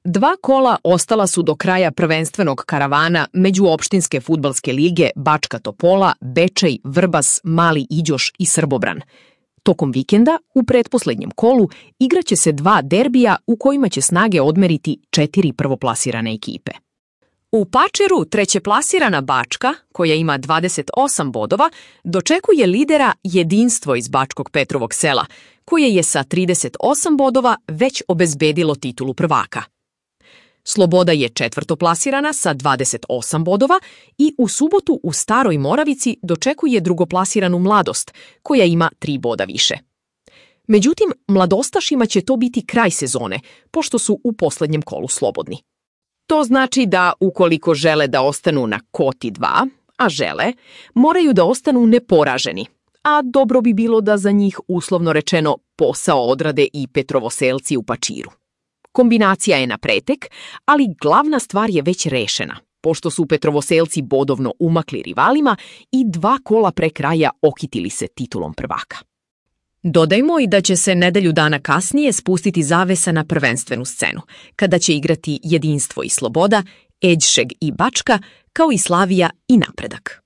2 kola ostala su do kraja prvenstvenog karavana međuopštinske fudbalske lige Bačka Topola, Bečej, Vrbas, Mali Iđoš i Srbobran. Tokom vikenda, u pretposlednjem kolu, igraće se 2 derbija u kojima će snage odmeriti 4 prvoplasirane ekipe. U Pačeru trećeplasirana Bačka, koja ima 28 bodova, dočekuje lidera Jedinstvo iz Bačkog Petrovog Sela, koje je sa 38 bodova već obezbedilo titulu prvaka. Sloboda je četvrtoplasirana sa 28 bodova i u subotu u Staroj Moravici dočekuje drugoplasiranu Mladost, koja ima 3 boda više. Međutim, mladostašima će to biti kraj sezone, pošto su u poslednjem kolu slobodni. To znači da, ukoliko žele da ostanu na koti 2, a žele, moraju da ostanu neporaženi, a dobro bi bilo da za njih, uslovno rečeno, posao odrade i Petrovoselci u Pačiru. Kombinacija je na pretek, ali glavna stvar je već rešena, pošto su Petrovoselci bodovno umakli rivalima i 2 kola pre kraja okitili se titulom prvaka. Dodajmo i da će se nedelju dana kasnije spustiti zavesa na prvenstvenu scenu, kada će igrati Jedinstvo i Sloboda, Eđšeg i Bačka, kao i Slavija i Napredak.